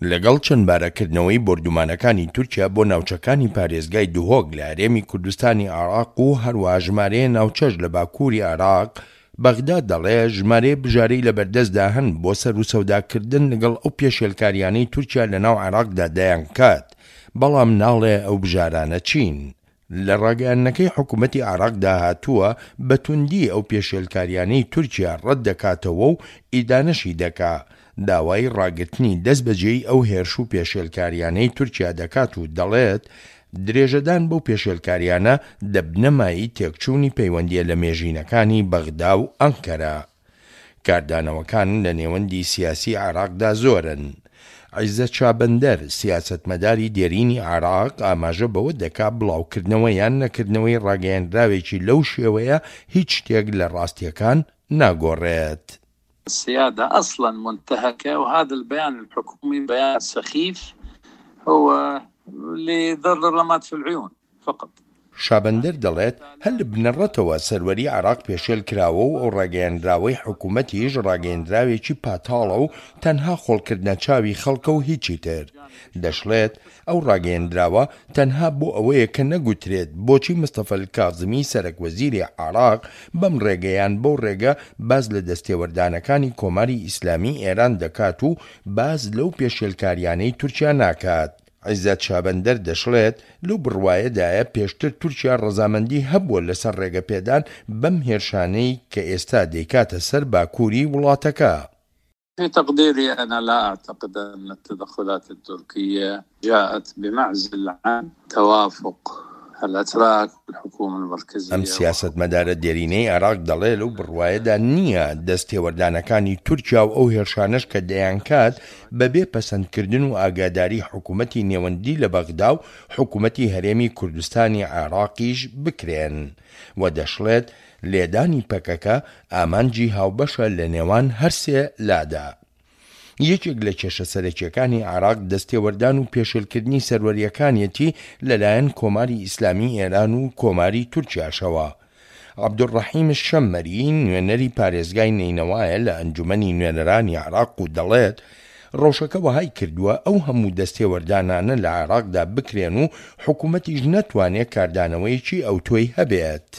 لەگەڵ چەندبارەکردنەوەی بۆردومانەکانی تورکیا بۆ ناوچەکانی پارێزگای دهۆک لە هەرێمی کوردستانی عێراق و هەروەها ژمارەیە ناوچەش لە باکووری عێراق، بەغدا دەڵێ ژمارەیە بژارەی لەبەردەستدا هەن بۆ سەروسەوداکردن لەگەڵ ئەو پێشێلکاریانەی تورکیا لەناو عێراقدا دەیانکات، بەڵام ناڵێ ئەو بژارانە چین. لە ڕاگەیاندنەکەی حکومەتی عێراقدا هاتووە، بە توندی ئەو پێشێلکاریانەی تورکیا ڕەت دەکاتەوە و ئیدانەشی دەکا، داوای ڕاگرتنی دەست بەجێی ئەو هێرش و پێشێلکاریانەی تورکیا دەکات و دەڵێت، درێژەدان بەو پێشێلکاریانە دەبنە مایەی تێکچوونی پەیوەندییە لەمێژینەکانی بەغدا و ئەنکەرە. کاردانەوەکان لە نێوەندی سیاسی عێراقدا زۆرن. عیزەت شابەندەر، سیاسەتمەداری دێرینی عێراق ئاماژە بەوە دەکا بڵاوکردنەوە یان نەکردنەوەی ڕاگەیەنراوێکی لەو شێوەیە هیچ شتێک لە ڕاستییەکان ناگۆڕێت. السيادة أصلا منتهكة وهذا البيان الحكومي بيان سخيف هو لذر الرماد في العيون فقط. شابەندەر دەڵێت، هەر لە بنەڕەتەوە سەروەری عێراق پێشێل کراوە و ئەو ڕاگەیەنراوەی حکومەتیش ڕاگەیەندراوێکی پاتاڵە و تەنها خۆڵکردنە چاوی خەڵکە و هیچی تر. دەشڵێت، ئەو ڕاگەیەندراوە تەنها بۆ ئەوەیە کە نەگوترێت بۆچی مستەفا الکازمی سەرەک وەزیری عێراق بەم ڕێگە یان بەو ڕێگە باس لە دەستێوەردانەکانی کۆماری ئیسلامی ئێران دەکات و باس لەو پێشێلکاریانەی تورکیا ناکات. عیزەت شابەندەر دەشڵێت، لەو بڕوایەدایە پێشتر تورکیا ڕەزامەندی هەبووە لەسەر ڕێگەپێدان بەم هێرشانەی کە ئێستا دەیکاتە سەر باکووری وڵاتەکە. في تقديري أنا لا أعتقد أن التدخلات التركية جاءت بمعزل عن توافق الأتراك والحكومة المركزية. ئەم سیاسەتمەدارە دێرینەی عێراق دەڵێ لەو بڕوایەدا نییە دەستێوەردانەکانی تورکیا و ئەو هێرشانەش کە دەیانکات بەبێ پەسەندکردن و ئاگاداری حکومەتی نێوەندی لە بەغدا و حکومەتی هەرێمی کوردستانی عێراقیش بکرێن و دەشڵێت لێدانی پەکەکە ئامانجی هاوبەشە لە نێوان هەرسێ لادا. یەکێک لە کێشە سەرەکیەکانی عێراق دەستێوەردان و پێشێلکردنی سەروەریەکانیەتی لەلایەن کۆماری ئیسلامی ئێران و کۆماری تورکیاشەوە. عەبدولڕەحیم شەممەری، نوێنەری پارێزگای نەینەوایە لە ئەنجومەنی نوێنەرانی عێراق و دەڵێت، ڕەوشەکە وەهای کردووە ئەو هەموو دەستێوەردانانە لە عێراقدا بکرێن و حکومەتیش نەتوانێ کاردانەوەیەکی ئەوتۆی هەبێت.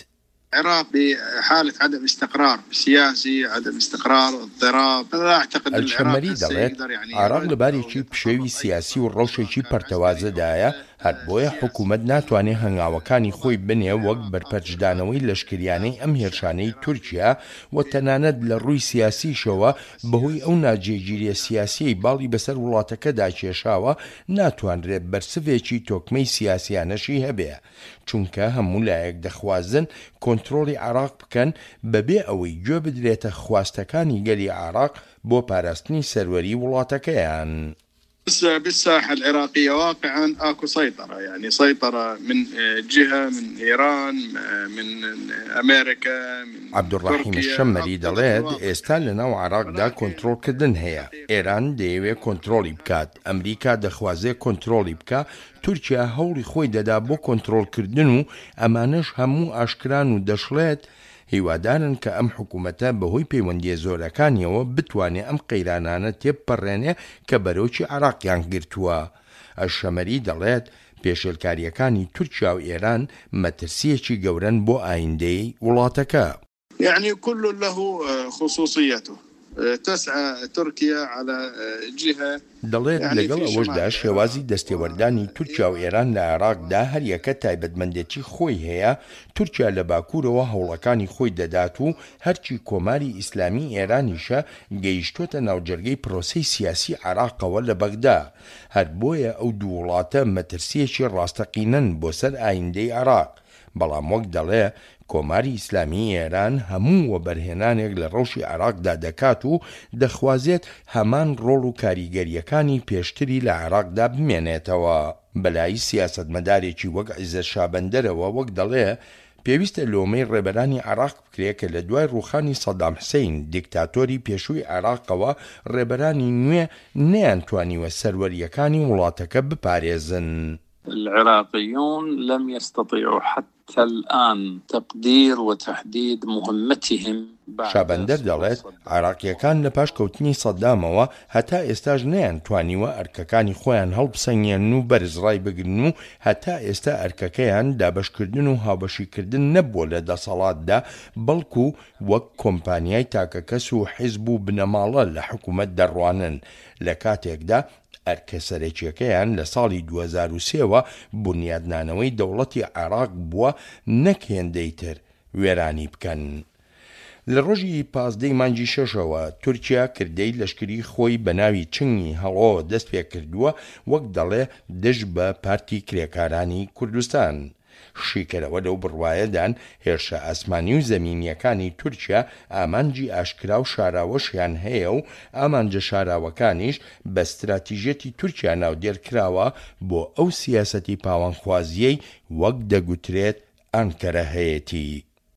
عراق بحالة عدم استقرار سیاسی، عدم استقرار، اضطراب، لا اعتقد ان العراق الشەممەری هسه دەڵێت، يقدر يعني عێراق لە يرد او بارێکی پشێوی يتصرف اي سیاسی و تصرف سواء ڕەوشێکی كان عسكري او پەرتەوازەدایە، هەر بۆیە سياسي حکومەت ناتوانێ هەنگاوەکانی خۆی بنێ وەک العراق اكو بەرپەرچدانەوەی الان لەشکریانەی داخل ئەم الشعب هێرشانەی العراقي تورکیا و في تەنانەت لە ڕووی سیاسیشەوە بەهۆی ئەو السياسي ناجێگیریە هناك سیاسیەی باڵی بەسەر وڵاتەکەدا کێشاوە ناتوانرێ بەرسڤێکی تۆکمەی سیاسیانەشی هەبێ چونکە هەموو لایەک دەخوازن کۆنترۆڵی عێراق بکەن بەبێ ئەوەی گوێ بدرێتە خواستەکانی گەلی عێراق بۆ پاراستنی سەروەری وڵاتەکەیان. بالساحة العراقية واقعا اكو سيطرة يعني سيطرة من جهة من ايران من امريكا من عەبدولڕەحیم تركيا شەممەری اكو تدخل دەڵێت، واضح ئێستا لەناو عێراقدا ولكن کۆنترۆڵکردن هەیە، ئێران دەیەوێ کۆنترۆڵی بکات، ئەمریکا دەخوازێ کۆنترۆڵی بکا، تورکیا هەوڵی خۆی دەدا بۆ کۆنترۆڵکردن و ئەمانەش هەموو ئاشکران و دەشڵێت، هیوادارن کە ئەم حکومەتە بەهۆی پەیوەندییە زۆرەکانیەوە بتوانێ ئەم قەیرانانە تێبپەڕێنێ کە بەرۆکی عێراقیان گرتووە. ئەلشەمەری دەڵێت، پێشێلکارییەکانی تورکیا و ئێران مەترسییەکی گەورەن بۆ ئایندەی وڵاتەکە. یعنی کل له خصوصیته تسعی ترکیا علی جهە دەڵێت، یعنی لەگەڵ فی شمال ئەوەشدا العراق شێوازی و دەستێوەردانی تورکیا و ئیران ئێران لە و عێراقدا هەریەکە تایبەتمەندێتی خۆی هەیە، تورکیا لە باکوورەوە هەوڵەکانی خۆی دەدات و هەرچی کۆماری ئیسلامی ئێرانیشە گەیشتۆتە ناوجەرگەی پرۆسەی سیاسی عێراقەوە لە بەغدا، هەر بۆیە ئەو دوو وڵاتە مەترسییەکی ڕاستەقینەن بۆ سەر ئایندەی عێراق. بەڵام وەک دەڵێ کۆماری ئیسلامیی ئێران هەموو وەبەرهێنانێک لە ڕەوشی عێراقدا دەکات و دەخوازێت هەمان ڕۆڵ و کاریگەرییەکانی پێشتری لە عێراقدا بمێنێتەوە. بەلای سیاسەتمەدارێکی وەک عیزەت شابەندەرەوە وەک دەڵێ پێویستە لۆمەی ڕێبەرانی عێراق بکرێ کە لە دوای ڕووخانی سەدام حسەین دیکتاتۆری پێشووی عێراقەوە ڕێبەرانی نوێ نەیانتوانیوە سەروەرییەکانی وڵاتەکە بپارێزن. العراقيون لم يستطيعوا حتى الآن تقدير وتحديد مهمتهم بعد شابەندەر سقوط دەڵێت، صدام. عێراقییەکان لە پاش کەوتنی سەدامەوە هەتا ئێستاش نەیانتوانیوە ئەرکەکانی خۆیان هەڵبسەنگێنن و بەرز ڕایبگرن و هەتا ئێستا ئەرکەکەیان دابەشکردن و هاوبەشیکردن نەبووە لە دەسەڵاتدا بەڵکو وەک کۆمپانیای تاکەکەس و حیزب و بنەماڵە لە حکومەت دەڕوانن لە کاتێکدا ئەرکە سەرەکیەکەیان لە ساڵی 2003 وە بونیادنانەوەی دەوڵەتی عێراق بووە نەک هێندەی تر وێرانی بکەن. لە ڕۆژی 15 ی مانگی شەشەوە تورکیا کردەی لەشکری خۆی بە ناوی چنگی هەڵۆ دەست پێکردووە وەک دەڵێ دژ بە پارتی کرێکارانی کوردستان. شیکەرەوە لەو بڕوایەدان هێرشە ئاسمانی و زەمینییەکانی تورکیا ئامانجی ئاشکرا و شاراوەشیان هەیە و ئامانجە شاراوەکانیش بە ستراتیژیەتی تورکیا ناودێر کراوە بۆ ئەو سیاسەتی پاوانخوازییەی وەک دەگوترێت ئانکەرە هەیەتی.